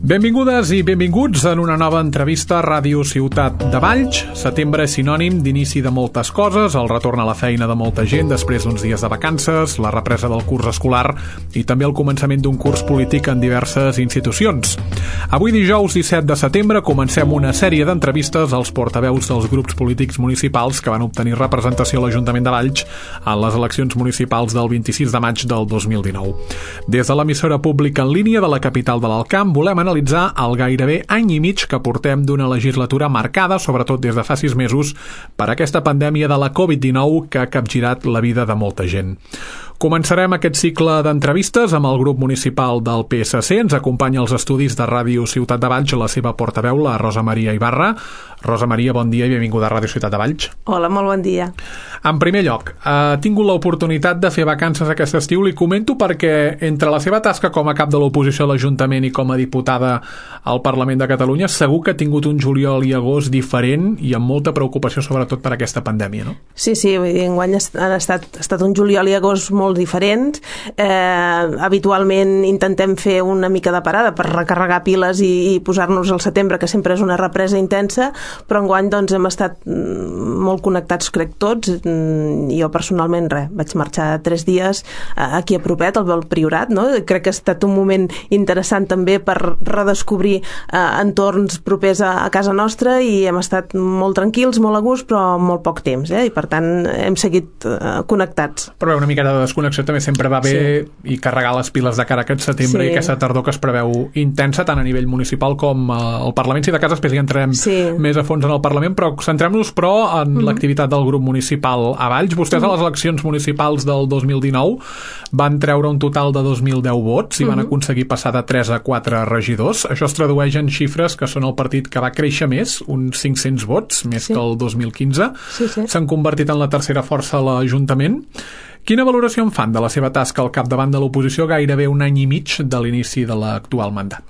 Benvingudes i benvinguts en una nova entrevista a Ràdio Ciutat de Valls. Setembre és sinònim d'inici de moltes coses, el retorn a la feina de molta gent després d'uns dies de vacances, la represa del curs escolar i també el començament d'un curs polític en diverses institucions. Avui dijous 17 de setembre comencem una sèrie d'entrevistes als portaveus dels grups polítics municipals que van obtenir representació a l'Ajuntament de Valls en les eleccions municipals del 26 de maig del 2019. Des de l'emissora pública en línia de la capital de l'Alt Camp volem analitzar el gairebé any i mig que portem d'una legislatura marcada, sobretot des de fa 6 mesos, per aquesta pandèmia de la Covid-19 que ha capgirat la vida de molta gent. Començarem aquest cicle d'entrevistes amb el grup municipal del PSC. Ens acompanya als estudis de Ràdio Ciutat de Valls la seva portaveu, la Rosa Maria Ibarra. Rosa Maria, bon dia i benvinguda a Ràdio Ciutat de Valls. Hola, molt bon dia. En primer lloc, he tingut l'oportunitat de fer vacances aquest estiu. Li comento perquè entre la seva tasca com a cap de l'oposició a l'Ajuntament i com a diputada al Parlament de Catalunya, segur que ha tingut un juliol i agost diferent i amb molta preocupació, sobretot per aquesta pandèmia, no? Sí, enguany ha estat un juliol i agost molt diferents. Habitualment intentem fer una mica de parada per recarregar piles i posar-nos al setembre, que sempre és una represa intensa, però enguany doncs, hem estat molt connectats, crec, tots. Jo personalment, vaig marxar 3 dies aquí a propet, al Priorat, no? Crec que ha estat un moment interessant també per redescobrir entorns propers a casa nostra i hem estat molt tranquils, molt a gust, però molt poc temps, i per tant hem seguit connectats. Però una mica de desconnexió també sempre va bé, sí, i carregar les piles de cara a aquest setembre, sí, i aquesta tardor que es preveu intensa tant a nivell municipal com al Parlament. Si de cas després hi entrarem, sí, més a fons en el Parlament, però centrem-nos en l'activitat del grup municipal a Valls. Vostès a les eleccions municipals del 2019 van treure un total de 2.010 vots i van aconseguir passar de 3 a 4 regidors. Això es tradueix en xifres que són el partit que va créixer més, uns 500 vots, més que el 2015. S'han convertit en la tercera força a l'Ajuntament. Quina valoració en fan de la seva tasca al capdavant de l'oposició gairebé un any i mig de l'inici de l'actual mandat?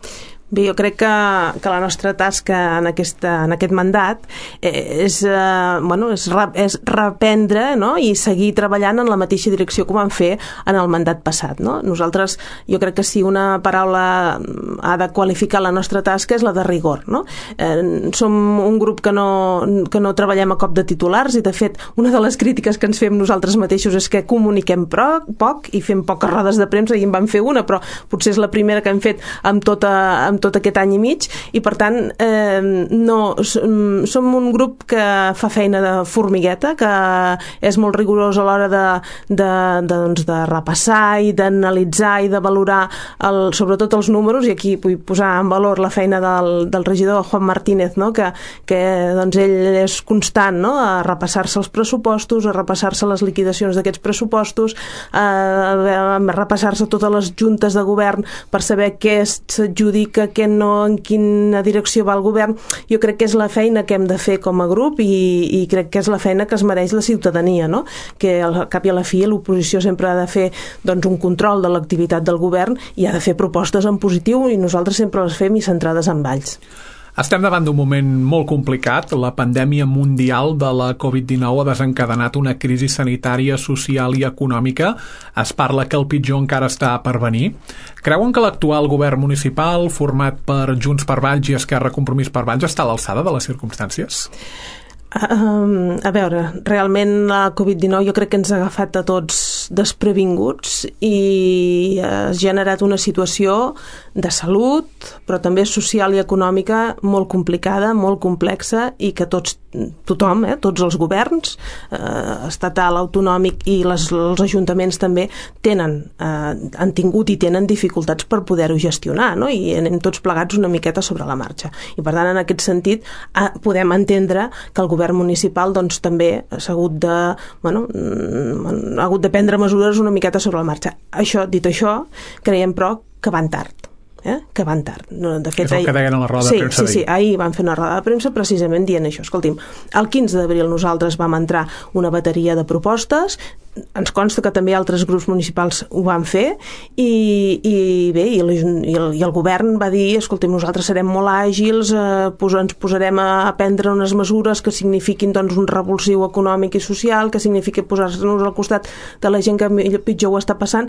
Bé, jo crec que la nostra tasca en aquest mandat és reprendre, no? I seguir treballant en la mateixa direcció que vam fer en el mandat passat, no? Nosaltres, jo crec que si una paraula ha de qualificar la nostra tasca és la de rigor, no? Som un grup que no treballem a cop de titulars i, de fet, una de les crítiques que ens fem nosaltres mateixos és que comuniquem poc i fem poques rodes de premsa, i en vam fer una, però potser és la primera que hem fet amb tot aquest any i mig, i per tant som un grup que fa feina de formigueta, que és molt rigorós a l'hora de repassar i d'analitzar i de valorar sobretot els números, i aquí vull posar en valor la feina del regidor Juan Martínez, no? que doncs ell és constant, no? A repassar-se els pressupostos, a repassar-se les liquidacions d'aquests pressupostos, a repassar-se totes les juntes de govern per saber què s'adjudica, què no, en quina direcció va el govern. Jo crec que és la feina que hem de fer com a grup i crec que és la feina que es mereix la ciutadania, no? Que al cap i a la fi l'oposició sempre ha de fer doncs, un control de l'activitat del govern i ha de fer propostes en positiu, i nosaltres sempre les fem i centrades en Valls. Estem davant d'un moment molt complicat. La pandèmia mundial de la Covid-19 ha desencadenat una crisi sanitària, social i econòmica. Es parla que el pitjor encara està per venir. Creuen que l'actual govern municipal, format per Junts per Valls i Esquerra Compromís per Valls, està a l'alçada de les circumstàncies? A veure, realment la Covid-19 jo crec que ens ha agafat a tots desprevinguts i ha generat una situació de salut, però també social i econòmica molt complicada, molt complexa, i que tothom, tots els governs, estatal, autonòmic i els ajuntaments també han tingut i tenen dificultats per poder-ho gestionar, no? I anem tots plegats una miqueta sobre la marxa. I per tant, en aquest sentit, podem entendre que el govern municipal doncs, també s'ha hagut de prendre mesures una miqueta sobre la marxa. Dit això, creiem però que van tard. Que van tard. De fet, és el que deien a la roda de premsa. Sí, ahir van fer una roda de premsa precisament dient això. Escolti'm, el 15 d'abril nosaltres vam entrar una bateria de propostes, ens consta que també altres grups municipals ho van fer, i el govern va dir, escolti'm, nosaltres serem molt àgils, ens posarem a prendre unes mesures que signifiquin doncs, un revulsiu econòmic i social, que signifiqui posar-nos al costat de la gent que pitjor ho està passant.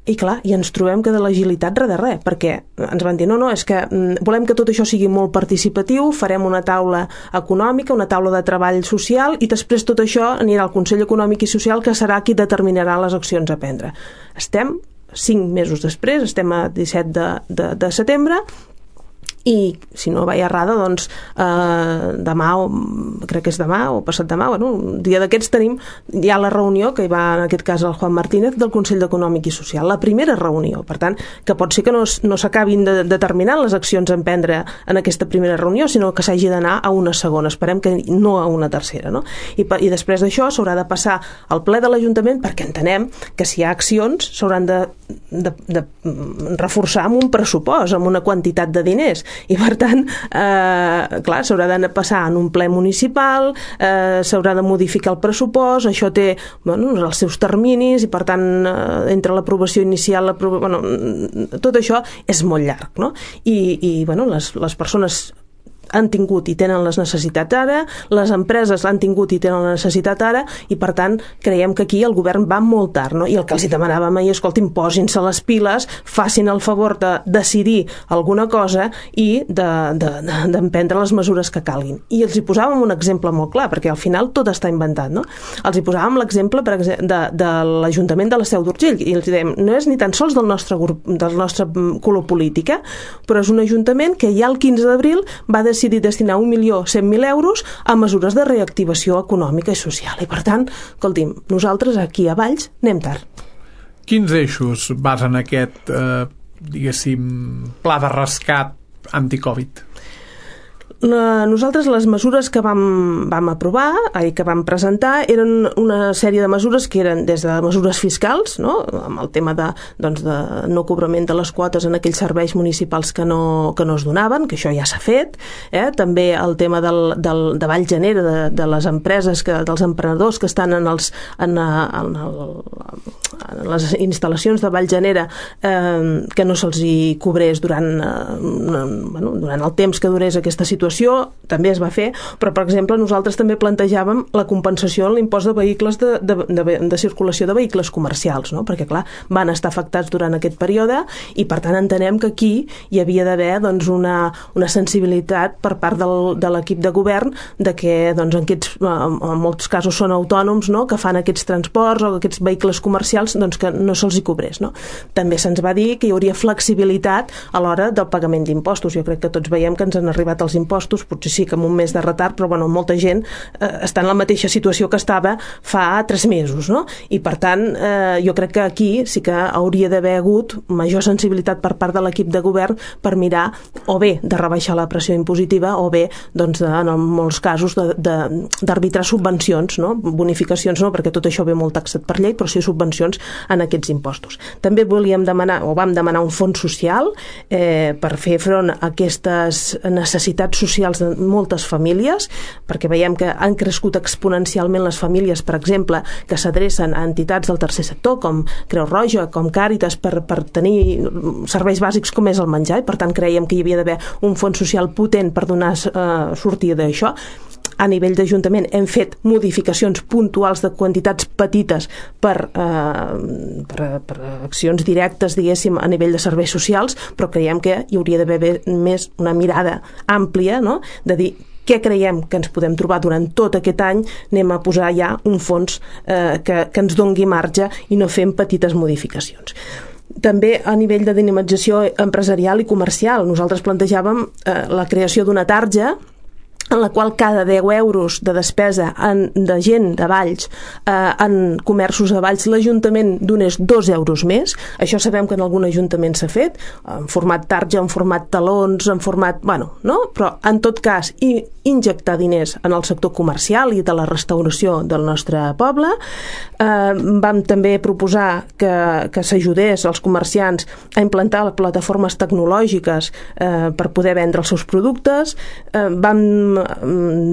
I clar, i ens trobem que de l'agilitat res de res, perquè ens van dir, no, és que volem que tot això sigui molt participatiu, farem una taula econòmica, una taula de treball social, i després tot això anirà al Consell Econòmic i Social, que serà qui determinarà les accions a prendre. Estem 5 mesos després, estem a 17 de setembre, i si no vaig errada, doncs demà, crec que és demà o passat demà, un dia d'aquests tenim ja la reunió, que hi va en aquest cas el Juan Martínez del Consell Econòmic i Social, la primera reunió, per tant, que pot ser que no s'acabin de determinar les accions a emprendre en aquesta primera reunió, sinó que s'hagi d'anar a una segona, esperem que no a una tercera, no? I després d'això s'haurà de passar al ple de l'Ajuntament, perquè entenem que si hi ha accions s'hauran de reforçar amb un pressupost, amb una quantitat de diners, i per tant clar, s'haurà de passar en un ple municipal, s'haurà de modificar el pressupost, això té els seus terminis, i per tant entre l'aprovació inicial, tot això és molt llarg, no? I les persones han tingut i tenen les necessitats ara, les empreses han tingut i tenen la necessitat ara, i per tant creiem que aquí el govern va molt tard, no? I el que els demanàvem ahir, escoltin, posin-se les piles, facin el favor de decidir alguna cosa i d'emprendre les mesures que calguin. I els hi posàvem un exemple molt clar, perquè al final tot està inventat, no? Els hi posàvem l'exemple de l'Ajuntament de la Seu d'Urgell, i els dèiem, no és ni tan sols del nostre color polític, però és un ajuntament que ja el 15 d'abril va decidir destinar 1.100.000 euros a mesures de reactivació econòmica i social. I per tant, escolti'm, nosaltres aquí a Valls anem tard. Quins eixos basen aquest, diguéssim, pla de rescat anti-Covid? Nosaltres les mesures que vam aprovar i que vam presentar eren una sèrie de mesures que eren des de mesures fiscals, no? Amb el tema de no cobrament de les quotes en aquells serveis municipals que no es donaven, que això ja s'ha fet, també el tema de Vall Genera, de les empreses, dels emprenedors que estan en les instal·lacions de Vall Genera, que no se'ls hi cobrés durant el temps que durés aquesta situació, també es va fer, però per exemple nosaltres també plantejàvem la compensació en l'impost de vehicles de circulació de vehicles comercials, no? Perquè clar, van estar afectats durant aquest període i per tant entenem que aquí hi havia d'haver una sensibilitat per part de l'equip de govern de que en molts casos són autònoms, no? Que fan aquests transports o aquests vehicles comercials, que no se'ls hi cobrés, no? També se'ns va dir que hi hauria flexibilitat a l'hora del pagament d'impostos. Jo crec que tots veiem que ens han arribat els impostos, potser sí que amb un mes de retard, però molta gent està en la mateixa situació que estava fa 3 mesos, no? I per tant, jo crec que aquí sí que hauria d'haver hagut major sensibilitat per part de l'equip de govern per mirar o bé de rebaixar la pressió impositiva o bé, en molts casos, d'arbitrar subvencions, no? Bonificacions no, perquè tot això ve molt taxat per llei, però sí subvencions en aquests impostos. També volíem demanar, o vam demanar un fons social per fer front a aquestes necessitats socials de moltes famílies, perquè veiem que han crescut exponencialment les famílies, per exemple, que s'adrecen a entitats del tercer sector, com Creu Roja, com Càritas, per tenir serveis bàsics com és el menjar, i per tant creiem que hi havia d'haver un fons social potent per donar sortida d'això. A nivell d'Ajuntament hem fet modificacions puntuals de quantitats petites per accions directes, diguéssim, a nivell de serveis socials, però creiem que hi hauria d'haver més una mirada àmplia, no? De dir què creiem que ens podem trobar durant tot aquest any, anem a posar ja un fons que ens dongui marge i no fem petites modificacions. També a nivell de dinamització empresarial i comercial, nosaltres plantejàvem la creació d'una tarja en la qual cada 10 euros de despesa de gent de Valls en comerços de Valls l'Ajuntament donés 2 euros més. Això sabem que en algun ajuntament s'ha fet, en format tarja, en format talons, en format... no? Però en tot cas, injectar diners en el sector comercial i de la restauració del nostre poble. Vam també proposar que s'ajudés als comerciants a implantar plataformes tecnològiques per poder vendre els seus productes. Vam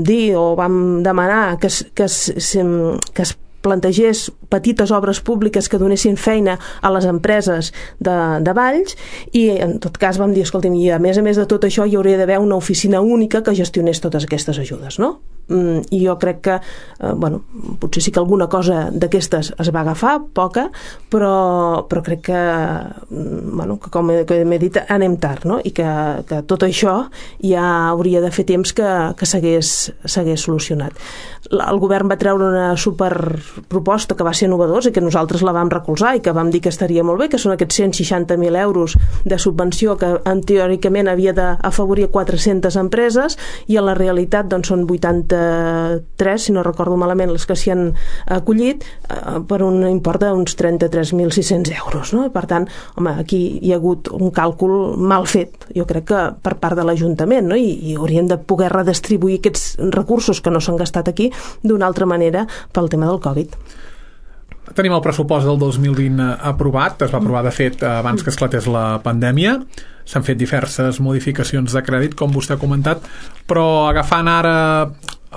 dir o vam demanar que es plantegés petites obres públiques que donessin feina a les empreses de Valls, i en tot cas vam dir, escolti'm, i a més de tot això hi hauria d'haver una oficina única que gestionés totes aquestes ajudes, no? i jo crec que potser sí que alguna cosa d'aquestes es va agafar, poca, però crec que com m'he dit, anem tard, no? I que tot això ja hauria de fer temps que s'hagués solucionat. El govern va treure una superproposta que va ser novedosa i que nosaltres la vam recolzar i que vam dir que estaria molt bé, que són aquests 160.000 euros de subvenció que teòricament havia d'afavorir 400 empreses, i a la realitat doncs són 83, si no recordo malament, les que s'hi han acollit, per un import d'uns 33.600 euros, no? Per tant, home, aquí hi ha hagut un càlcul mal fet, jo crec que per part de l'Ajuntament, no? I hauríem de poder redistribuir aquests recursos que no s'han gastat aquí d'una altra manera pel tema del Covid. Tenim el pressupost del 2020 aprovat, es va aprovar de fet abans que esclatés la pandèmia, s'han fet diverses modificacions de crèdit, com vostè ha comentat, però agafant ara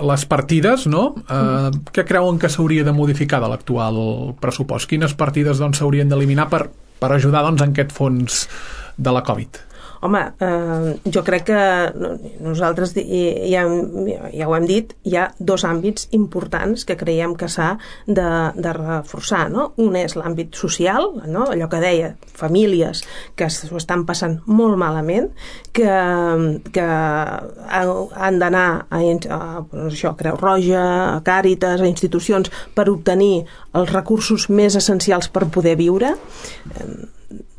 les partides, no? Què creuen que s'hauria de modificar de l'actual pressupost? Quines partides s'haurien d'eliminar per ajudar en aquest fons de la Covid? Home, jo crec que nosaltres ja ho hem dit, hi ha dos àmbits importants que creiem que s'ha de reforçar, no? Un és l'àmbit social, no? Allò que deia, famílies que s'ho estan passant molt malament, que han d'anar a Creu Roja, a Càritas, a institucions per obtenir els recursos més essencials per poder viure.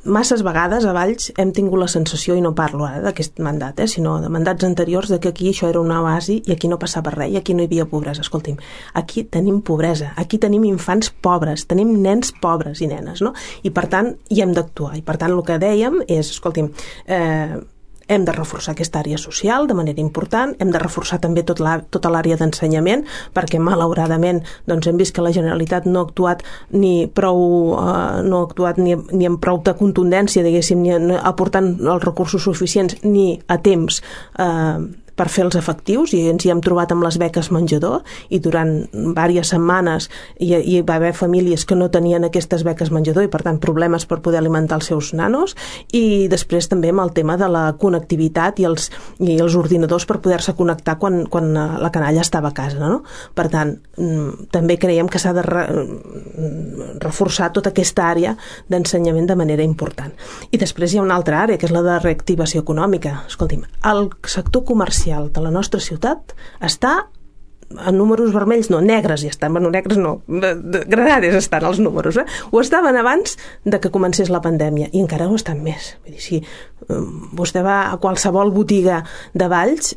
Masses vegades a Valls hem tingut la sensació, i no parlo ara d'aquest mandat, sinó de mandats anteriors, de que aquí això era una oasi i aquí no passava res, i aquí no hi havia pobresa. Escolti'm, aquí tenim pobresa, aquí tenim infants pobres, tenim nens pobres i nenes, no? I per tant hi hem d'actuar. I per tant el que dèiem és, escolti'm, hem de reforçar aquesta àrea social de manera important, hem de reforçar també tota l'àrea d'ensenyament, perquè malauradament hem vist que la Generalitat no ha actuat ni amb prou de contundència, diguéssim, ni aportant els recursos suficients ni a temps per fer els efectius, i ens hi hem trobat amb les beques menjador, i durant diverses setmanes hi va haver famílies que no tenien aquestes beques menjador i per tant problemes per poder alimentar els seus nanos, i després també amb el tema de la connectivitat i els ordinadors per poder-se connectar quan la canalla estava a casa, no? Per tant, també creiem que s'ha de reforçar tota aquesta àrea d'ensenyament de manera important. I després hi ha una altra àrea, que és la de reactivació econòmica. Escolti'm, el sector comercial de la nostra ciutat està en números vermells, no, negres ja estan, bueno, negres no, granades estan els números, ho estaven abans de que comencés la pandèmia, i encara ho estan més. Vull dir, si vostè va a qualsevol botiga de Valls,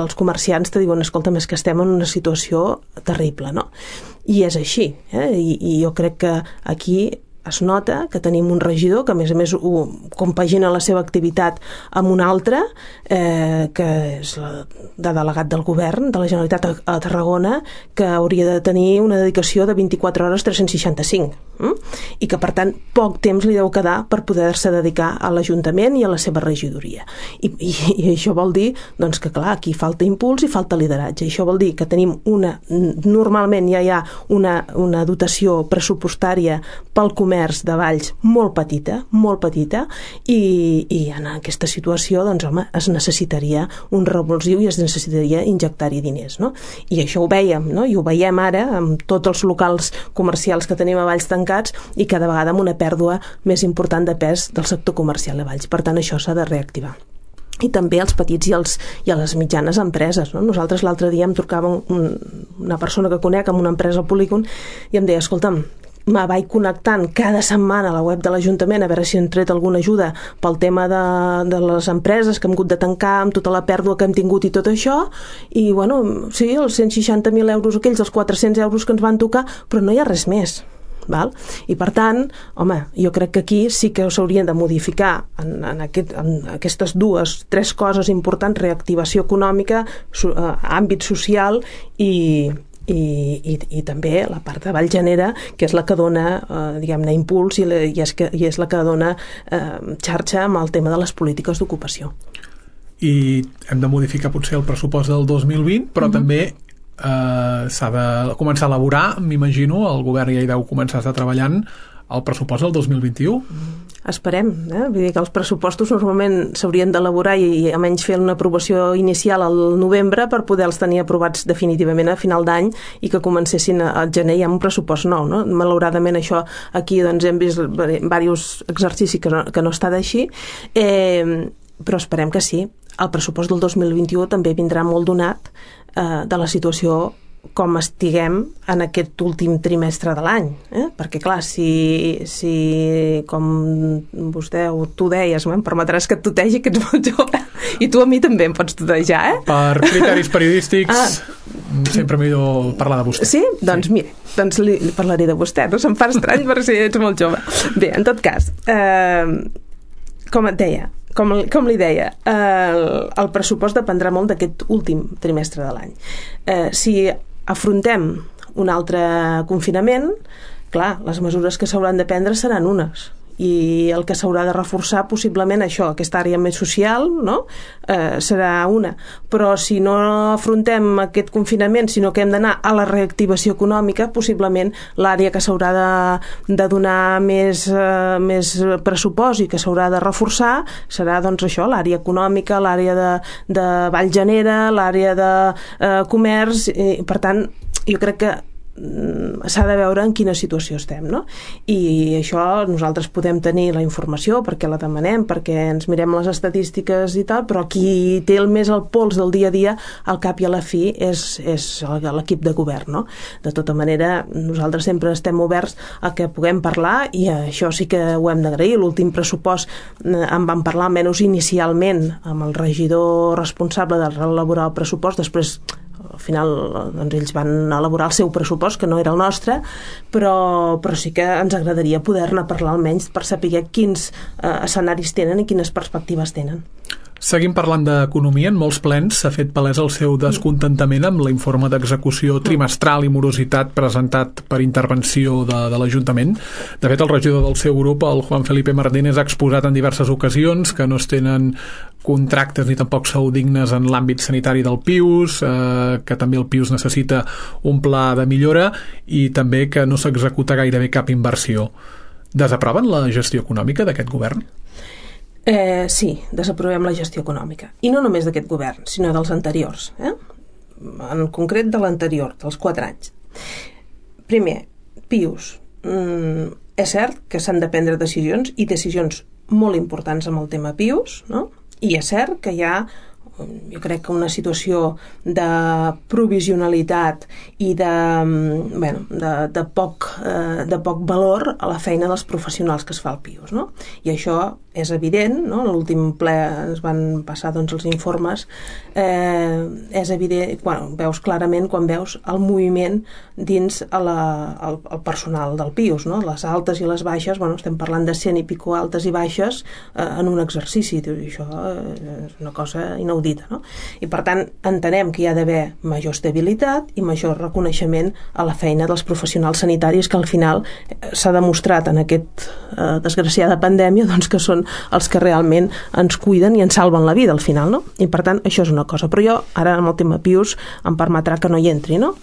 els comerciants te diuen, escolta'm, és que estem en una situació terrible, no? I és així, i jo crec que aquí es nota que tenim un regidor que a més compagina la seva activitat amb un altre, que és de delegat del govern de la Generalitat a Tarragona, que hauria de tenir una dedicació de 24 hores 365, i que per tant poc temps li deu quedar per poder-se dedicar a l'Ajuntament i a la seva regidoria, i això vol dir que clar, aquí falta impuls i falta lideratge, i això vol dir que tenim normalment ja hi ha una dotació pressupostària pel comerç de Valls molt petita, i en aquesta situació home, es necessitaria un revulsiu i es necessitaria injectar-hi diners, no? I això ho vèiem, no? I ho veiem ara amb tots els locals comercials que tenim a Valls tancats, i cada vegada amb una pèrdua més important de pes del sector comercial a Valls. Per tant, això s'ha de reactivar. I també els petits i a les mitjanes empreses, no? Nosaltres l'altre dia em trucava una persona que conec amb una empresa al Polígon i em deia, escolta'm, me vaig connectant cada setmana a la web de l'Ajuntament a veure si hem tret alguna ajuda pel tema de les empreses que hem hagut de tancar amb tota la pèrdua que hem tingut i tot això, i bueno, sí, els 160.000 euros aquells, els 400 euros que ens van tocar, però no hi ha res més. Val? I per tant, home, jo crec que aquí sí que s'haurien de modificar en aquestes tres coses importants: reactivació econòmica, àmbit social i també la part de Vallgenera, que és la que dona diguem-ne impuls i és la que dona xarxa amb el tema de les polítiques d'ocupació. I hem de modificar potser el pressupost del 2020, però també s'ha de començar a elaborar, m'imagino, el govern ja hi deu començar a estar treballant el pressupost del 2021? Esperem, Vull dir que els pressupostos normalment s'haurien d'elaborar i almenys fer una aprovació inicial al novembre per poder-los tenir aprovats definitivament a final d'any i que comencessin al gener ja amb un pressupost nou, no? Malauradament això aquí doncs, hem vist diversos exercicis que no està d'així, però esperem que sí. El pressupost del 2021 també vindrà molt donat de la situació com estiguem en aquest últim trimestre de l'any, perquè clar, si com vostè o tu deies, em permetràs que et tutegi, que ets molt jove, i tu a mi també em pots tutejar, Per criteris periodístics sempre millor parlar de vostè. Sí? Doncs mira, li parlaré de vostè, no se'm fa estrany perquè ets molt jove. Bé, en tot cas, com et deia, com li deia, el pressupost dependrà molt d'aquest últim trimestre de l'any. Si afrontem un altre confinament, clar, les mesures que s'hauran de prendre seran unes, i el que s'haurà de reforçar possiblement això, aquesta àrea més social, no? Serà una, però si no afrontem aquest confinament, sinó que hem d'anar a la reactivació econòmica, possiblement l'àrea que s'haurà de donar més pressupost i que s'haurà de reforçar serà doncs això, l'àrea econòmica, l'àrea de Vallgenera, l'àrea de comerç, i per tant jo crec que s'ha de veure en quina situació estem, no? I això nosaltres podem tenir la informació perquè la demanem, perquè ens mirem les estadístiques i tal, però qui té més el pols del dia a dia al cap i a la fi és l'equip de govern, no? De tota manera, nosaltres sempre estem oberts a que puguem parlar i això sí que ho hem d'agrair. L'últim pressupost en vam parlar almenys inicialment amb el regidor responsable d'elaborar el pressupost, després al final doncs, ells van elaborar el seu pressupost, que no era el nostre, però sí que ens agradaria poder-ne parlar almenys per saber quins escenaris tenen i quines perspectives tenen. Seguim parlant d'economia. En molts plens s'ha fet palès el seu descontentament amb l'informe d'execució trimestral i morositat presentat per intervenció de l'Ajuntament. De fet, el regidor del seu grup, el Juan Felipe Martínez, ha exposat en diverses ocasions que no es tenen contractes ni tampoc sou dignes en l'àmbit sanitari del PIUS, que també el PIUS necessita un pla de millora i també que no s'executa gairebé cap inversió. Desaproven la gestió econòmica d'aquest govern? Sí, desaprovem la gestió econòmica. I no només d'aquest govern, sinó dels anteriors. En concret de l'anterior, dels 4 anys. Primer, PIUS. És cert que s'han de prendre decisions i decisions molt importants amb el tema PIUS, no? I és cert que hi ha, jo crec que una situació de provisionalitat i de poc valor a la feina dels professionals que es fa al PIUS, no? I això és evident, no? A l'últim ple es van passar doncs, els informes, és evident, veus clarament quan veus el moviment dins el personal del PIUS, no? Les altes i les baixes, estem parlant de 100 i pico altes i baixes en un exercici, i això és una cosa inaudita, no? I per tant entenem que hi ha d'haver major estabilitat i major reconeixement a la feina dels professionals sanitaris, que al final s'ha demostrat en aquesta desgraciada pandèmia doncs, que són els que realment ens cuiden i ens salven la vida al final, no? I per tant això és una cosa, però jo ara amb el tema PIUS em permetrà que no hi entri, no?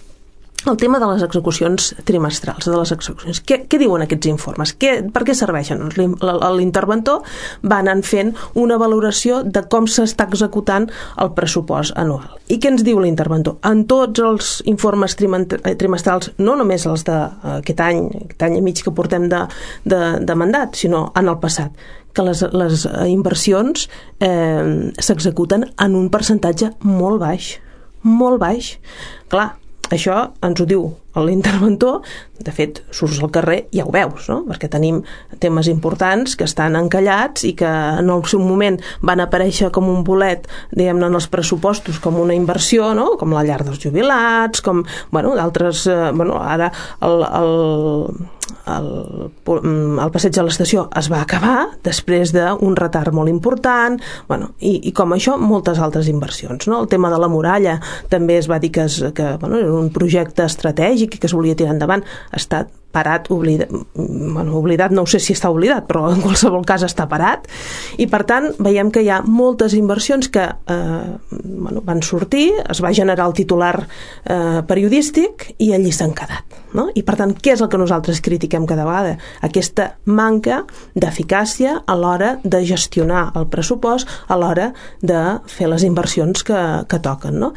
El tema de les execucions trimestrals, de les execucions. Què diuen aquests informes? Per què serveixen? L'interventor va anant fent una valoració de com s'està executant el pressupost anual. I què ens diu l'interventor? En tots els informes trimestrals, no només els d'aquest any i mig que portem de mandat, sinó en el passat, que les inversions s'executen en un percentatge molt baix. Molt baix. Clar, això ens ho diu l'interventor, de fet, surts al carrer i ja ho veus, no? Perquè tenim temes importants que estan encallats i que en el seu moment van aparèixer com un bolet, diguem-ne, en els pressupostos com una inversió, no? Com la llar dels jubilats, com, d'altres, ara el passeig a l'estació es va acabar després d'un retard molt important, i com això moltes altres inversions, no? El tema de la muralla també es va dir que era un projecte estratègic i que es volia tirar endavant, ha estat parat, oblidat, no sé si està oblidat, però en qualsevol cas està parat, i per tant veiem que hi ha moltes inversions que van sortir, es va generar el titular periodístic i allí s'han quedat, no? I per tant, què és el que nosaltres critiquem cada vegada? Aquesta manca d'eficàcia a l'hora de gestionar el pressupost, a l'hora de fer les inversions que toquen, no?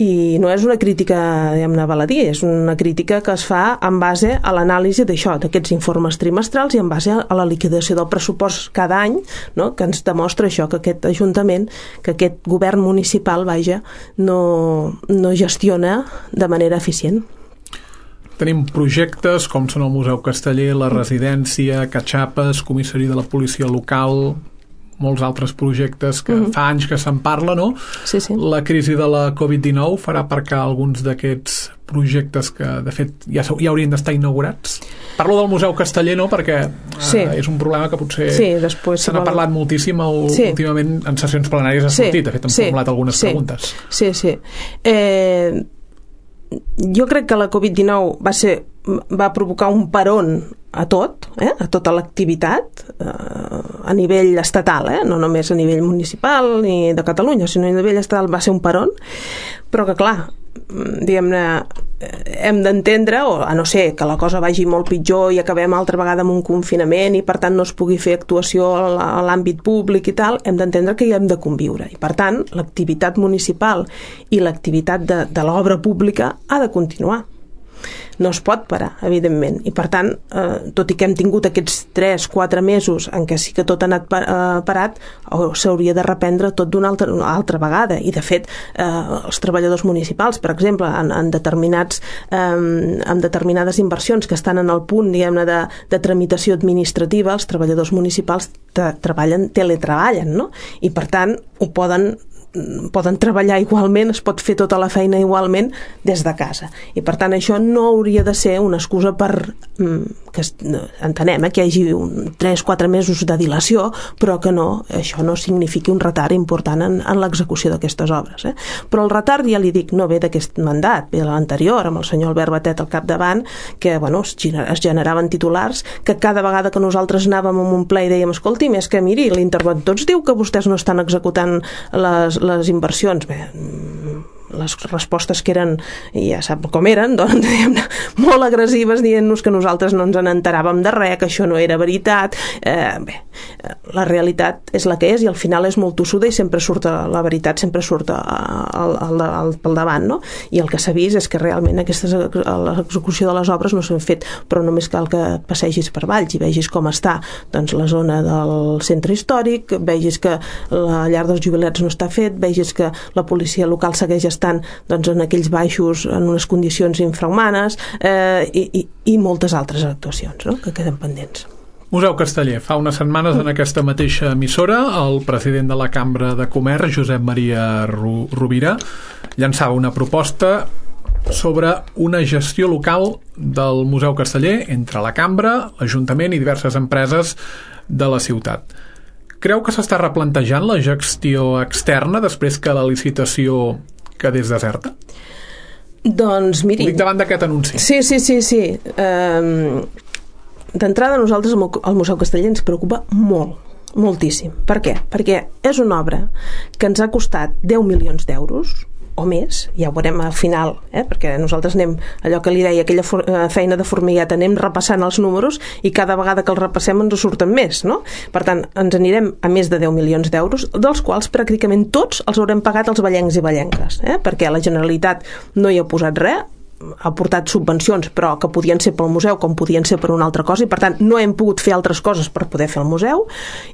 I no és una crítica, diguem-ne, baladí, és una crítica que es fa en base a l'anàlisi d'això, d'aquests informes trimestrals i en base a la liquidació del pressupost cada any, no? Que ens demostra això, que aquest Ajuntament, que aquest govern municipal, no gestiona de manera eficient. Tenim projectes com són el Museu Casteller, la residència, Catxapes, comissari de la policia local, molts altres projectes que fa anys que se'n parla, no? Sí. La crisi de la Covid-19 farà aparcar alguns d'aquests projectes que, de fet, ja haurien d'estar inaugurats. Parlo del Museu Casteller, no?, perquè és un problema que potser se n'ha parlat moltíssim últimament en sessions plenàries ha sortit. De fet, hem formulat algunes preguntes. Sí. Jo crec que la Covid-19 va provocar un peron a tota l'activitat a nivell estatal, no només a nivell municipal ni de Catalunya, sinó a nivell estatal va ser un peron, però que clar, diguem-ne, hem d'entendre, o a no ser que la cosa vagi molt pitjor i acabem altra vegada amb un confinament i per tant no es pugui fer actuació a l'àmbit públic i tal, hem d'entendre que hi hem de conviure i per tant l'activitat municipal i l'activitat de l'obra pública ha de continuar. No es pot parar, evidentment, i per tant, tot i que hem tingut aquests 3-4 mesos en què sí que tot ha anat parat, s'hauria de reprendre tot d'una altra vegada, i de fet els treballadors municipals, per exemple, en determinades inversions que estan en el punt, diguem-ne, de tramitació administrativa, els treballadors municipals teletreballen, no? I per tant poden treballar igualment, es pot fer tota la feina igualment des de casa, i per tant això no hauria de ser una excusa per que entenem que hi hagi 3-4 mesos de dilació, però que això no signifiqui un retard important en l'execució d'aquestes obres, però el retard, ja li dic, no ve d'aquest mandat, ve de l'anterior, amb el senyor Albert Batet al capdavant, que es generaven titulars que cada vegada que nosaltres anàvem a un ple i dèiem, escolti'm, és que miri, l'interventor ens diu que vostès no estan executant les inversions. Bé, les respostes que eren, ja sap com eren, doncs, diguem-ne, molt agressives, dient-nos que nosaltres no ens n'enteràvem de res, que això no era veritat. Bé, la realitat és la que és i al final és molt tossuda i sempre surt la veritat, sempre surt pel davant, no? I el que s'ha vist és que realment l'execució de les obres no s'han fet, però només cal que passegis per Valls i vegis com està doncs, la zona del centre històric, vegis que la llar dels jubilats no està fet, vegis que la policia local segueix estant doncs, en aquells baixos en unes condicions infrahumanes i moltes altres actuacions, no?, que queden pendents. Museu Casteller, fa unes setmanes en aquesta mateixa emissora el president de la Cambra de Comerç, Josep Maria Rovira, llançava una proposta sobre una gestió local del Museu Casteller entre la Cambra, l'Ajuntament i diverses empreses de la ciutat. Creu que s'està replantejant la gestió externa després que la licitació quedés deserta? Doncs miri... Ho dic davant d'aquest anunci. Sí. D'entrada, nosaltres el Museu Casteller ens preocupa moltíssim. Per què? Perquè és una obra que ens ha costat 10 milions d'euros o més, ja ho veurem al final, perquè nosaltres anem, allò que li deia, aquella feina de formigueta, anem repassant els números i cada vegada que els repassem ens surten més, no? Per tant, ens anirem a més de 10 milions d'euros, dels quals pràcticament tots els haurem pagat els vallencs i vallenques, perquè la Generalitat no hi ha posat res, ha portat subvencions, però que podien ser pel museu com podien ser per una altra cosa, i per tant no hem pogut fer altres coses per poder fer el museu,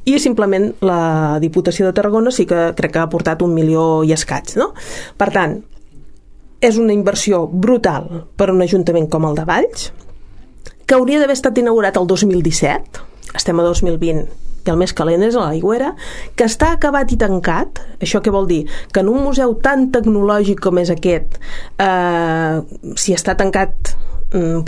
i simplement la Diputació de Tarragona sí que crec que ha aportat 1 milió i escaig, no? Per tant, és una inversió brutal per un ajuntament com el de Valls, que hauria d'haver estat inaugurat el 2017, estem a 2020, i el més calent és a l'Aigüera, que està acabat i tancat. Això què vol dir? Que en un museu tan tecnològic com és aquest, si està tancat,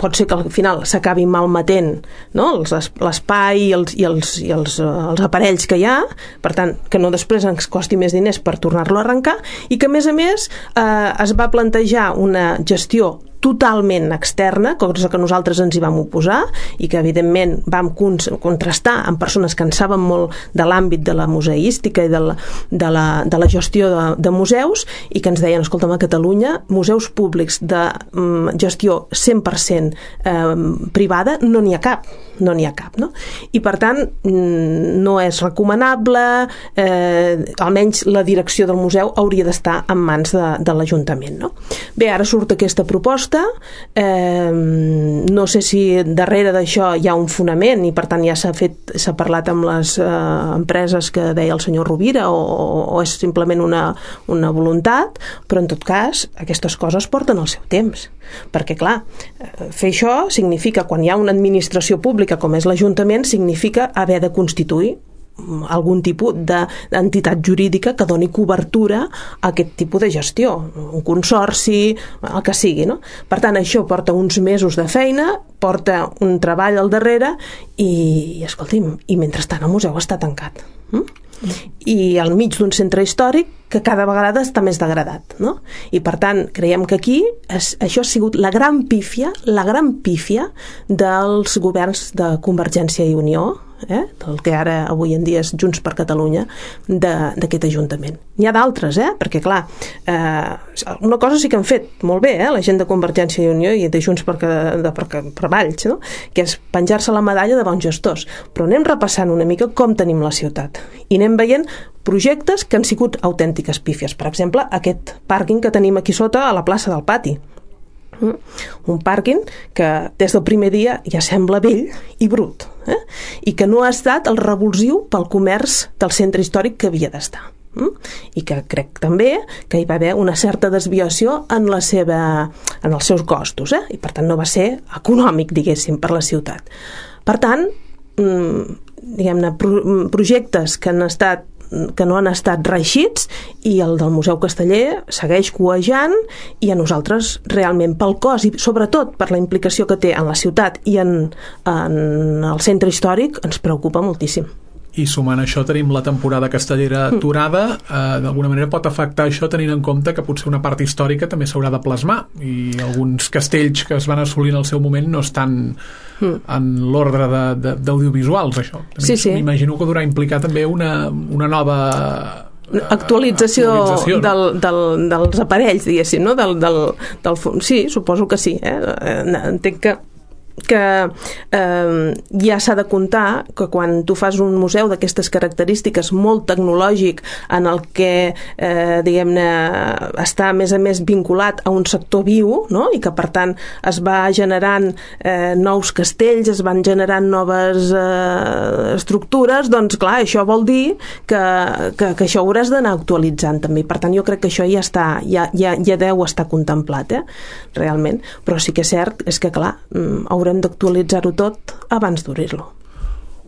pot ser que al final s'acabi malmetent, no? L'espai i els aparells que hi ha, per tant, que no després ens costi més diners per tornar-lo a arrencar, i que a més es va plantejar una gestió totalment externa, cosa que nosaltres ens hi vam oposar i que evidentment vam contrastar amb persones que en saben molt de l'àmbit de la museística i de la gestió de museus, i que ens deien, escolta'm, a Catalunya museus públics de gestió 100% privada no n'hi ha cap, no? I per tant no és recomanable, almenys la direcció del museu hauria d'estar en mans de l'Ajuntament, no? Bé, ara surt aquesta proposta, no sé si darrere d'això hi ha un fonament i per tant ja s'ha parlat amb les empreses que deia el senyor Rovira o és simplement una voluntat, però en tot cas aquestes coses porten el seu temps, perquè clar, fer això significa, quan hi ha una administració pública com és l'Ajuntament, significa haver de constituir algun tipus d'entitat jurídica que doni cobertura a aquest tipus de gestió, un consorci, el que sigui, no? Per tant, això porta uns mesos de feina, porta un treball al darrere i escolti'm, i mentrestant el museu està tancat. I al mig d'un centre històric que cada vegada està més degradat, no? I per tant creiem que aquí això ha sigut la gran pífia dels governs de Convergència i Unió, del que ara avui en dia és Junts per Catalunya, d'aquest Ajuntament. N'hi ha d'altres, perquè clar, una cosa sí que han fet molt bé, la gent de Convergència i Unió i de Junts per Valls, no? Que és penjar-se la medalla de bons gestors, però anem repassant una mica com tenim la ciutat i anem veient projectes que han sigut autèntiques pífies. Per exemple, aquest pàrquing que tenim aquí sota a la plaça del Pati, un pàrquing que des del primer dia ja sembla vell i brut, i que no ha estat el revulsiu pel comerç del centre històric que havia d'estar, i que crec també que hi va haver una certa desviació en els seus costos, i per tant no va ser econòmic, diguéssim, per la ciutat. Per tant, diguem-ne, projectes que no han estat reeixits, i el del Museu Casteller segueix cuejant, i a nosaltres realment pel cost i sobretot per la implicació que té en la ciutat i en el centre històric ens preocupa moltíssim. I sumant això tenim la temporada castellera aturada. D'alguna manera pot afectar això tenint en compte que potser una part històrica també s'haurà de plasmar i alguns castells que es van assolir en el seu moment no estan en l'ordre d'audiovisuals, això. Sí. M'imagino que durà implicar també una nova actualització dels aparells, diguéssim, no? Sí, suposo que sí. Entenc que ja s'ha de comptar que quan tu fas un museu d'aquestes característiques molt tecnològic en el que diguem-ne està a més vinculat a un sector viu, no? I que per tant es va generant nous castells, es van generant noves estructures, doncs clar, això vol dir que això hauràs d'anar actualitzant també. Per tant, jo crec que això ja deu estar contemplat, realment, però sí que és cert, és que clar, haurem d'actualitzar-ho tot abans d'obrir-lo.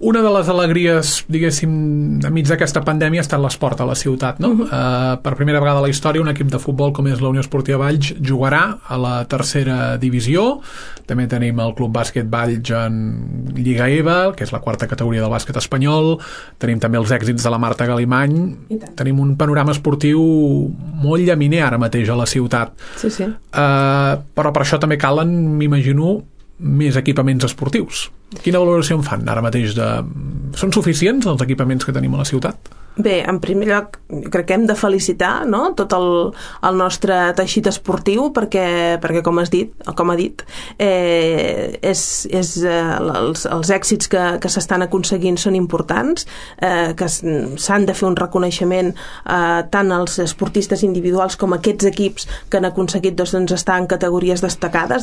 Una de les alegries, diguéssim, enmig d'aquesta pandèmia ha estat l'esport a la ciutat, no? Per primera vegada a la història un equip de futbol com és la Unió Esportiva Valls jugarà a la tercera divisió. També tenim el Club Bàsquet Valls en Lliga EVA, que és la quarta categoria del bàsquet espanyol. Tenim també els èxits de la Marta Galimany. Tenim un panorama esportiu molt llaminer ara mateix a la ciutat. Sí. Però per això també calen, m'imagino, més equipaments esportius. Quina valoració en fan ara mateix? Són suficients els equipaments que tenim a la ciutat? Bé, en primer lloc, crec que hem de felicitar, no?, tot el nostre teixit esportiu perquè com ha dit, els èxits que s'estan aconseguint són importants, que s'han de fer un reconeixement tant als esportistes individuals com a aquests equips que han aconseguit estar en categories destacades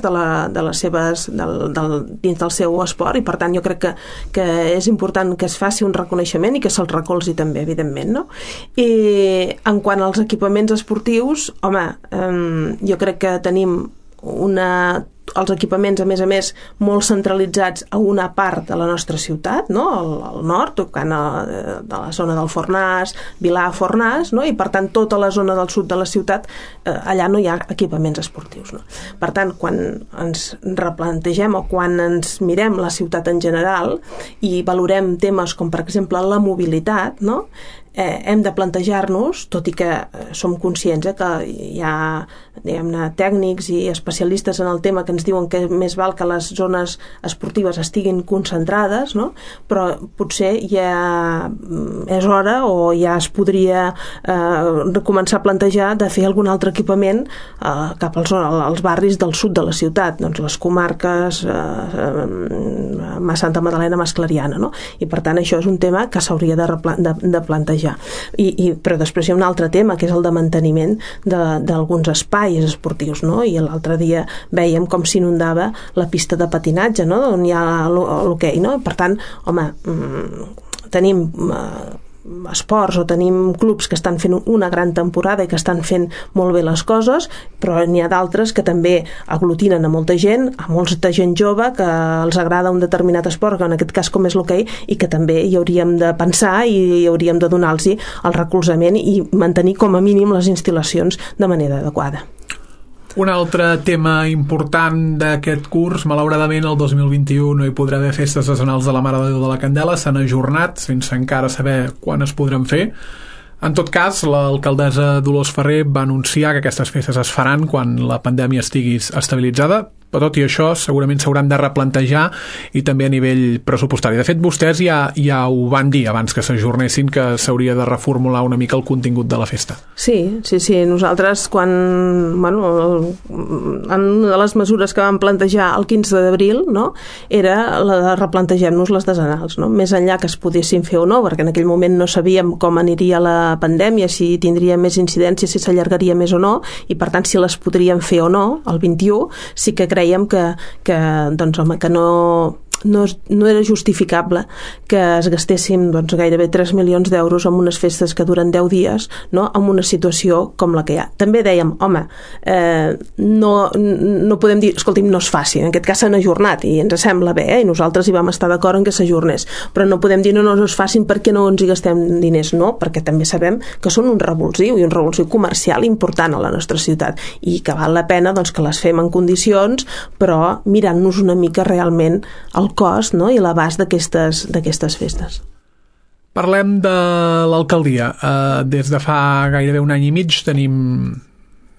dins del seu esport, i per tant jo crec que és important que es faci un reconeixement i que se'ls recolzi també, evidentment, no? I en quant als equipaments esportius, home, jo crec que tenim els equipaments, a més, molt centralitzats a una part de la nostra ciutat, no? Al nord, tocant de la zona del Fornàs, Vilà-Fornàs, no? I per tant tota la zona del sud de la ciutat, allà no hi ha equipaments esportius, no? Per tant, quan ens replantegem o quan ens mirem la ciutat en general i valorem temes com per exemple la mobilitat, no? hem de plantejar-nos, tot i que som conscients que hi ha, diguem-ne, tècnics i especialistes en el tema que ens diuen que més val que les zones esportives estiguin concentrades, no? Però potser ja és hora o ja es podria començar a plantejar de fer algun altre equipament cap als barris del sud de la ciutat, doncs les comarques Santa Magdalena, Mas Clariana, no? I per tant això és un tema que s'hauria de plantejar. Però després hi ha un altre tema, que és el de manteniment d'alguns espais esportius, no? I l'altre dia veiem com s'inundava la pista de patinatge, no? On hi ha l'hoquei, no? Per tant, home, tenim esports o tenim clubs que estan fent una gran temporada i que estan fent molt bé les coses, però n'hi ha d'altres que també aglutinen a molta gent, a molta gent jove que els agrada un determinat esport, que en aquest cas com és l'hoquei, i que també hi hauríem de pensar i hauríem de donar-los el recolzament i mantenir com a mínim les instal·lacions de manera adequada. Un altre tema important d'aquest curs, malauradament el 2021 no hi podrà haver festes nacionals de la Mare de Déu de la Candela, s'han ajornat sense encara saber quan es podran fer. En tot cas, l'alcaldessa Dolors Ferrer va anunciar que aquestes festes es faran quan la pandèmia estigui estabilitzada, però tot i això segurament s'hauran de replantejar i també a nivell pressupostari. De fet, vostès ja ho van dir abans que s'ajornessin, que s'hauria de reformular una mica el contingut de la festa. Sí. Nosaltres una de les mesures que vam plantejar el 15 d'abril, no, era la de replantejar-nos les decenals, no? Més enllà que es poguessin fer o no, perquè en aquell moment no sabíem com aniria la pandèmia, si tindria més incidència, si s'allargaria més o no, i per tant si les podríem fer o no, el 21, sí que creiem que no era justificable que es gastéssim gairebé 3 milions d'euros en unes festes que duren 10 dies, no? En una situació com la que hi ha. També dèiem, home, no podem dir, escolti'm, no es faci, en aquest cas s'han ajornat i ens sembla bé, i nosaltres hi vam estar d'acord en que s'ajornés, però no podem dir no es facin perquè no ens hi gastem diners, no, perquè també sabem que són un revulsiu i un revulsiu comercial important a la nostra ciutat i que val la pena que les fem en condicions, però mirant-nos una mica realment el cost, no? I l'abast d'aquestes festes. Parlem de l'alcaldia. Des de fa gairebé un any i mig tenim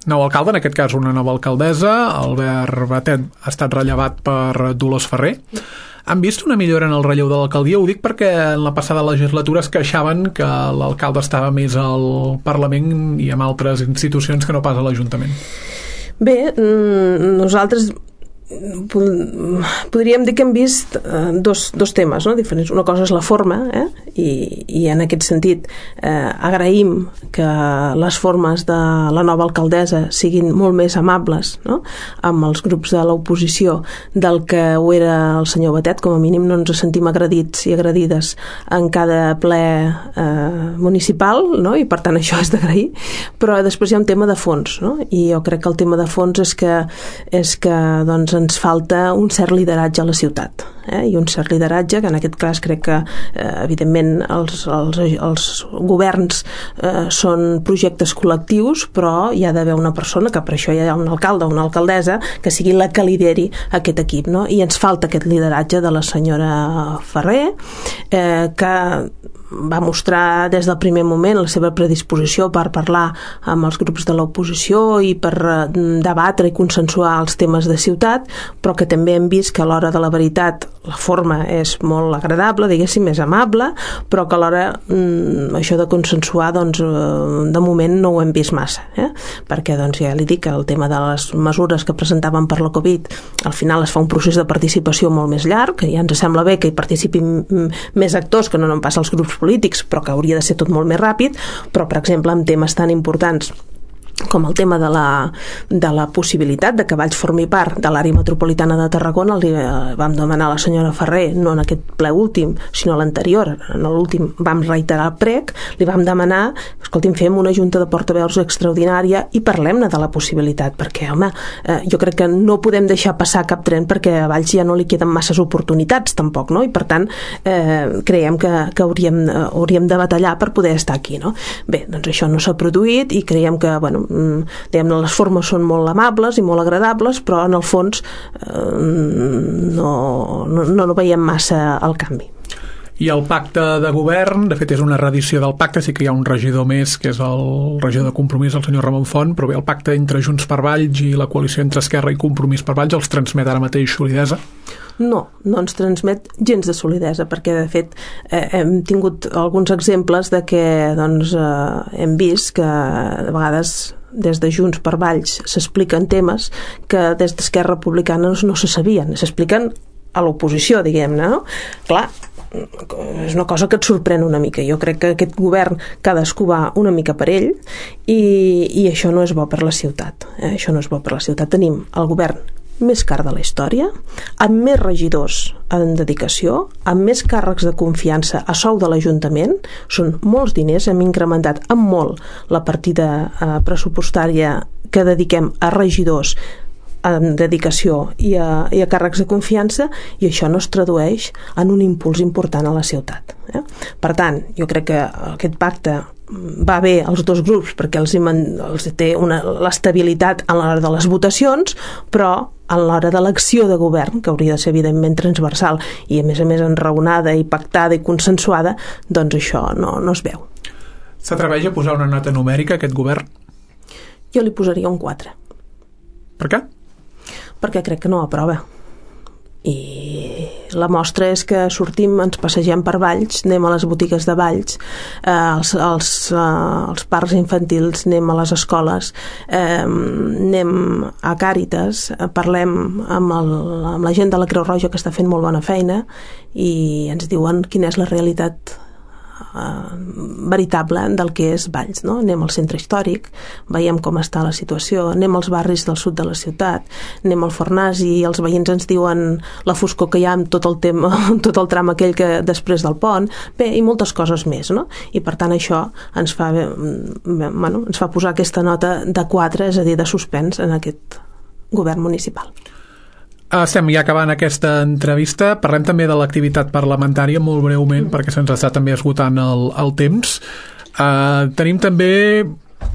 nou alcalde, en aquest cas una nova alcaldessa. Albert Batet ha estat rellevat per Dolors Ferrer. Han vist una millora en el relleu de l'alcaldia? Ho dic perquè en la passada legislatura es queixaven que l'alcalde estava més al Parlament i en altres institucions que no pas a l'Ajuntament. Bé, nosaltres podríem dir que hem vist dos temes, no, diferents. Una cosa és la forma, i en aquest sentit agraïm que les formes de la nova alcaldessa siguin molt més amables, no?, amb els grups de l'oposició del que ho era el senyor Batet. Com a mínim no ens sentim agredits i agredides en cada ple municipal, no?, i per tant això és d'agrair. Però després hi ha un tema de fons, no?, i jo crec que el tema de fons és que doncs ens falta un cert lideratge a la ciutat, i un cert lideratge que en aquest cas crec que evidentment els governs són projectes col·lectius, però hi ha d'haver una persona, que per això hi ha un alcalde o una alcaldessa, que sigui la que lideri aquest equip, no? I ens falta aquest lideratge de la senyora Ferrer, que va mostrar des del primer moment la seva predisposició per parlar amb els grups de l'oposició i per debatre i consensuar els temes de ciutat, però que també hem vist que a l'hora de la veritat la forma és molt agradable, diguéssim, és amable, però que alhora això de consensuar, de moment no ho hem vist massa, perquè ja li dic que el tema de les mesures que presentaven per la Covid, al final es fa un procés de participació molt més llarg, que ja ens sembla bé que hi participin més actors que no pas els grups polítics, però que hauria de ser tot molt més ràpid. Però, per exemple, en temes tan importants com el tema de la possibilitat de que Valls formi part de l'àrea metropolitana de Tarragona, li vam demanar a la senyora Ferrer, no en aquest ple últim, sinó l'anterior, en l'últim vam reiterar el prec, li vam demanar, escolti'm, fem una junta de portaveus extraordinària i parlem-ne de la possibilitat, perquè, home, jo crec que no podem deixar passar cap tren perquè a Valls ja no li queden masses oportunitats tampoc, no? I per tant creiem que hauríem de batallar per poder estar aquí, no? Bé, doncs això no s'ha produït i creiem que, diguem-ne, les formes són molt amables i molt agradables, però en el fons no veiem massa el canvi. I el pacte de govern, de fet és una reedició del pacte, sí que hi ha un regidor més, que és el regidor de Compromís, el senyor Ramon Font, però bé, el pacte entre Junts per Valls i la coalició entre Esquerra i Compromís per Valls els transmet ara mateix solidesa? No ens transmet gens de solidesa, perquè de fet hem tingut alguns exemples de que hem vist que de vegades des de Junts per Valls s'expliquen temes que des d'Esquerra Republicana no se sabien, s'expliquen a l'oposició, diguem-ne, no? Clar, és una cosa que et sorprèn una mica. Jo crec que aquest govern cadascú va una mica per ell i això no és bo per la ciutat. Això no és bo per la ciutat. Tenim el govern més car de la història, amb més regidors en dedicació, amb més càrrecs de confiança a sou de l'Ajuntament, són molts diners, hem incrementat en molt la partida pressupostària que dediquem a regidors en dedicació i a càrrecs de confiança, i això no es tradueix en un impuls important a la ciutat. Per tant, jo crec que aquest pacte va bé als dos grups perquè els té l'estabilitat a l'hora de les votacions, però a l'hora de l'acció de govern, que hauria de ser evidentment transversal i a més enraonada i pactada i consensuada, doncs això no es veu. S'atreveix a posar una nota numèrica a aquest govern? Jo li posaria un 4. Per què? Perquè crec que no aprova. I la mostra és que sortim, ens passegem per Valls, anem a les botigues de Valls, als parcs infantils, anem a les escoles, anem a Càritas, parlem amb la gent de la Creu Roja, que està fent molt bona feina, i ens diuen quina és la realitat veritable del que és Valls, no? Anem al centre històric, veiem com està la situació, anem als barris del sud de la ciutat, anem al Fornàs i els veïns ens diuen la foscor que hi ha amb tot el tram aquell que després del pont, bé, i moltes coses més, no? I per tant això ens fa posar aquesta nota de 4, és a dir, de suspens en aquest govern municipal. Estem ja acabant aquesta entrevista. Parlem també de l'activitat parlamentària molt breument, perquè se'ns està també esgotant el temps. Tenim també,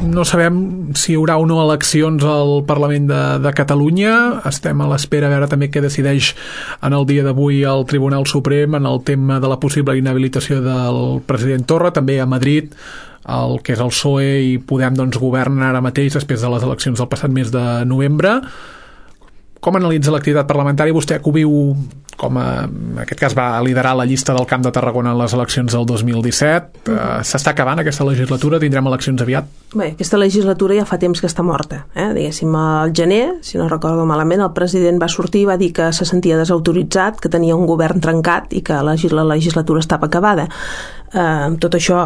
no sabem si hi haurà o no eleccions al Parlament de Catalunya. Estem a l'espera a veure també què decideix en el dia d'avui el Tribunal Suprem en el tema de la possible inhabilitació del president Torra. També a Madrid el que és el PSOE i Podem governen ara mateix després de les eleccions del passat mes de novembre. Com analitza l'activitat parlamentària? Vostè que ho viu en aquest cas va liderar la llista del Camp de Tarragona en les eleccions del 2017. S'està acabant aquesta legislatura? Tindrem eleccions aviat? Bé, aquesta legislatura ja fa temps que està morta. Diguéssim, al gener, si no recordo malament, el president va sortir i va dir que se sentia desautoritzat, que tenia un govern trencat i que la legislatura estava acabada. Tot això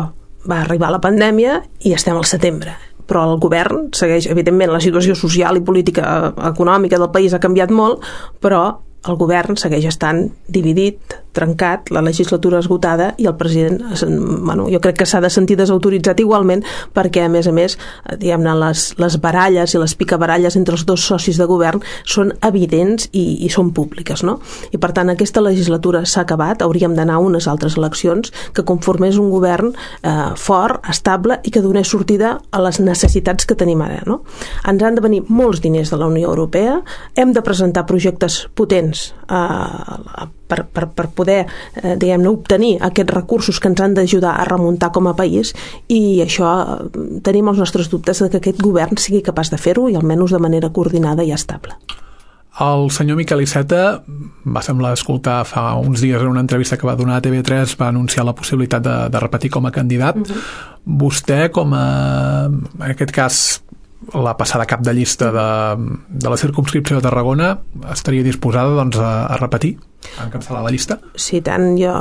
va arribar a la pandèmia i estem al setembre. Però el govern segueix, evidentment, la situació social i política econòmica del país ha canviat molt, però el govern segueix estant dividit, trencat, la legislatura esgotada i el president, jo crec que s'ha de sentir desautoritzat igualment perquè, a més, diguem-ne, les baralles i les picabaralles entre els dos socis de govern són evidents i són públiques, no? I per tant aquesta legislatura s'ha acabat, hauríem d'anar a unes altres eleccions que conformés un govern fort, estable i que donés sortida a les necessitats que tenim ara, no? Ens han de venir molts diners de la Unió Europea, hem de presentar projectes potents per poder, diguem-ne, obtenir aquests recursos que ens han d'ajudar a remuntar com a país, i això tenim els nostres dubtes de que aquest govern sigui capaç de fer-ho, i almenys de manera coordinada i estable. El senyor Miquel Iceta, va semblar escoltar fa uns dies en una entrevista que va donar a TV3, va anunciar la possibilitat de repetir com a candidat. Vostè, com a, en aquest cas, la passada cap de llista de la circumscripció de Tarragona, estaria disposada a repetir, a encapçalar la llista? Sí, tant. Jo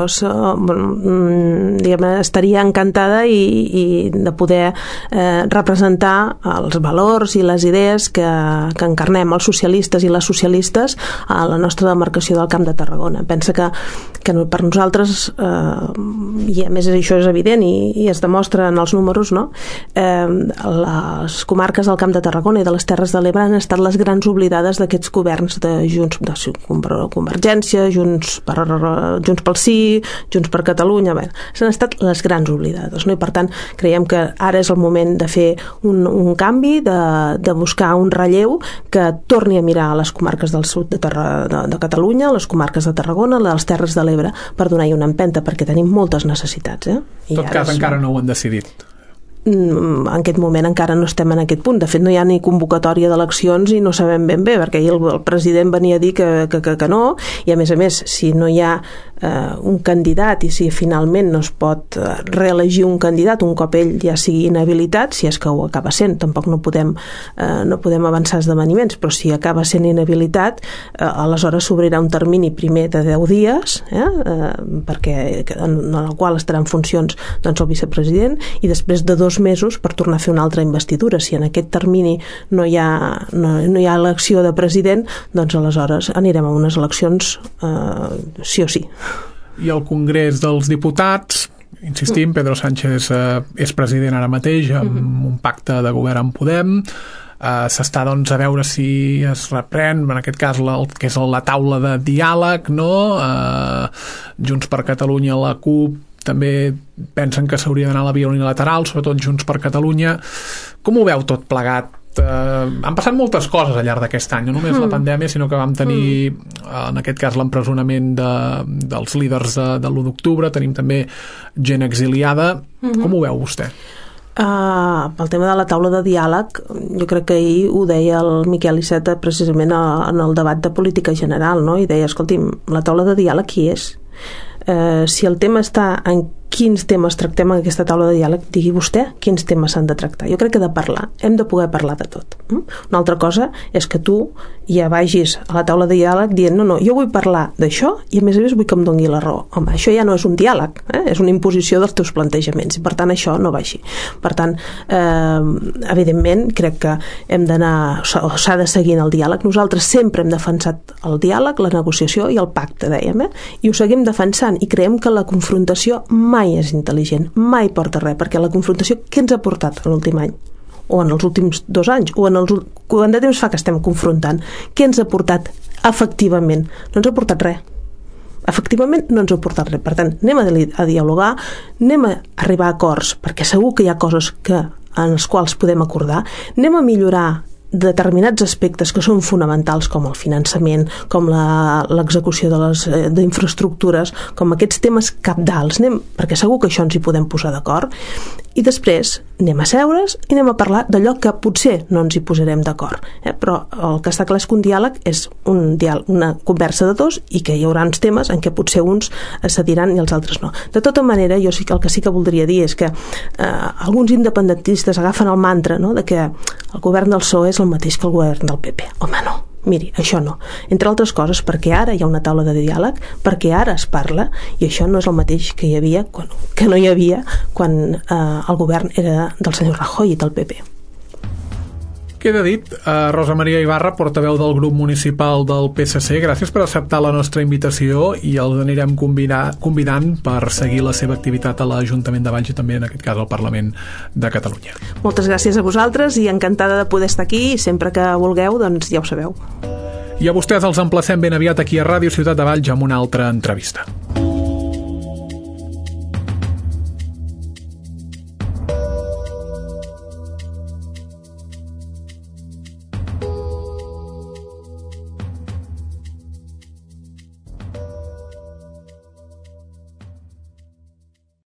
estaria encantada i de poder representar els valors i les idees que encarnem els socialistes i les socialistes a la nostra demarcació del Camp de Tarragona. Pensa que per nosaltres, i a més això és evident i es demostra en els números, no? Les comarques del Camp de Tarragona i de les Terres de l'Ebre han estat les grans oblidades d'aquests governs de Junts, de Convergència, Junts pel Sí, Junts per Catalunya, bé, s'han estat les grans oblidades, no? I per tant creiem que ara és el moment de fer un canvi, de buscar un relleu que torni a mirar a les comarques del sud de Catalunya, les comarques de Tarragona, les Terres de l'Ebre, per donar-hi una empenta, perquè tenim moltes necessitats. En tot cas, encara no ho han decidit. En aquest moment encara no estem en aquest punt. De fet, no hi ha ni convocatòria d'eleccions i no sabem ben bé, perquè ahir el president venia a dir que no, i a més, si no hi ha un candidat i si finalment no es pot reelegir un candidat un cop ell ja sigui inhabilitat, si és que ho acaba sent, tampoc no podem avançar esdeveniments, però si acaba sent inhabilitat, aleshores s'obrirà un termini primer de 10 dies, perquè en el qual estarà en funcions el vicepresident, i després de 2 mesos per tornar a fer una altra investidura. Si en aquest termini no hi ha elecció de president, doncs aleshores anirem a unes eleccions sí o sí. I el Congrés dels Diputats, insistim, Pedro Sánchez és president ara mateix amb un pacte de govern amb Podem. S'està doncs a veure si es reprèn en aquest cas que és la taula de diàleg, no? Junts per Catalunya, la CUP també pensen que s'hauria d'anar a la via unilateral, sobretot Junts per Catalunya. Com ho veu tot plegat? Han passat moltes coses al llarg d'aquest any, no només la pandèmia, sinó que vam tenir en aquest cas l'empresonament dels líders de l'1 d'octubre, tenim també gent exiliada. Com ho veu vostè? Pel tema de la taula de diàleg, jo crec que ahir ho deia el Miquel Iceta precisament en el debat de política general, no? I deia, escolti'm, la taula de diàleg qui és? Si el tema està en quins temes tractem en aquesta taula de diàleg, digui vostè quins temes s'han de tractar. Jo crec que de parlar, hem de poder parlar de tot. Una altra cosa és que tu ja vagis a la taula de diàleg dient no, jo vull parlar d'això i a més vull que em doni la raó. Home, això ja no és un diàleg, és una imposició dels teus plantejaments i per tant això no va així. Per tant, evidentment crec que hem d'anar, s'ha de seguir en el diàleg. Nosaltres sempre hem defensat el diàleg, la negociació i el pacte, dèiem, i ho seguim defensant i creiem que la confrontació mai és intel·ligent, mai porta res, perquè la confrontació què ens ha portat en l'últim any? O en els últims 2 anys? O quant de temps fa que estem confrontant? Què ens ha portat efectivament? No ens ha portat res. Efectivament no ens ha portat res. Per tant, anem a dialogar, anem a arribar a acords, perquè segur que hi ha coses en les quals podem acordar, anem a millorar determinats aspectes que són fonamentals com el finançament, com l'execució d'infraestructures, com aquests temes cabdals, perquè segur que això ens hi podem posar d'acord, i després anem a seure's i anem a parlar d'allò que potser no ens hi posarem d'acord. Però el que està clar és que un diàleg és una conversa de dos i que hi haurà uns temes en què potser uns cediran i els altres no. De tota manera, jo el que sí que voldria dir és que alguns independentistes agafen el mantra, no?, de que el govern del PSOE és el mateix que el govern del PP. Home, no. Miri, això no. Entre altres coses, perquè ara hi ha una taula de diàleg, perquè ara es parla, i això no és el mateix que hi havia, que no hi havia quan el govern era del senyor Rajoy i del PP. Queda dit. Rosa Maria Ibarra, portaveu del grup municipal del PSC, gràcies per acceptar la nostra invitació i els anirem convidant per seguir la seva activitat a l'Ajuntament de Valls i també en aquest cas al Parlament de Catalunya. Moltes gràcies a vosaltres i encantada de poder estar aquí i sempre que vulgueu, doncs ja ho sabeu. I a vostès els emplacem ben aviat aquí a Ràdio Ciutat de Valls amb una altra entrevista.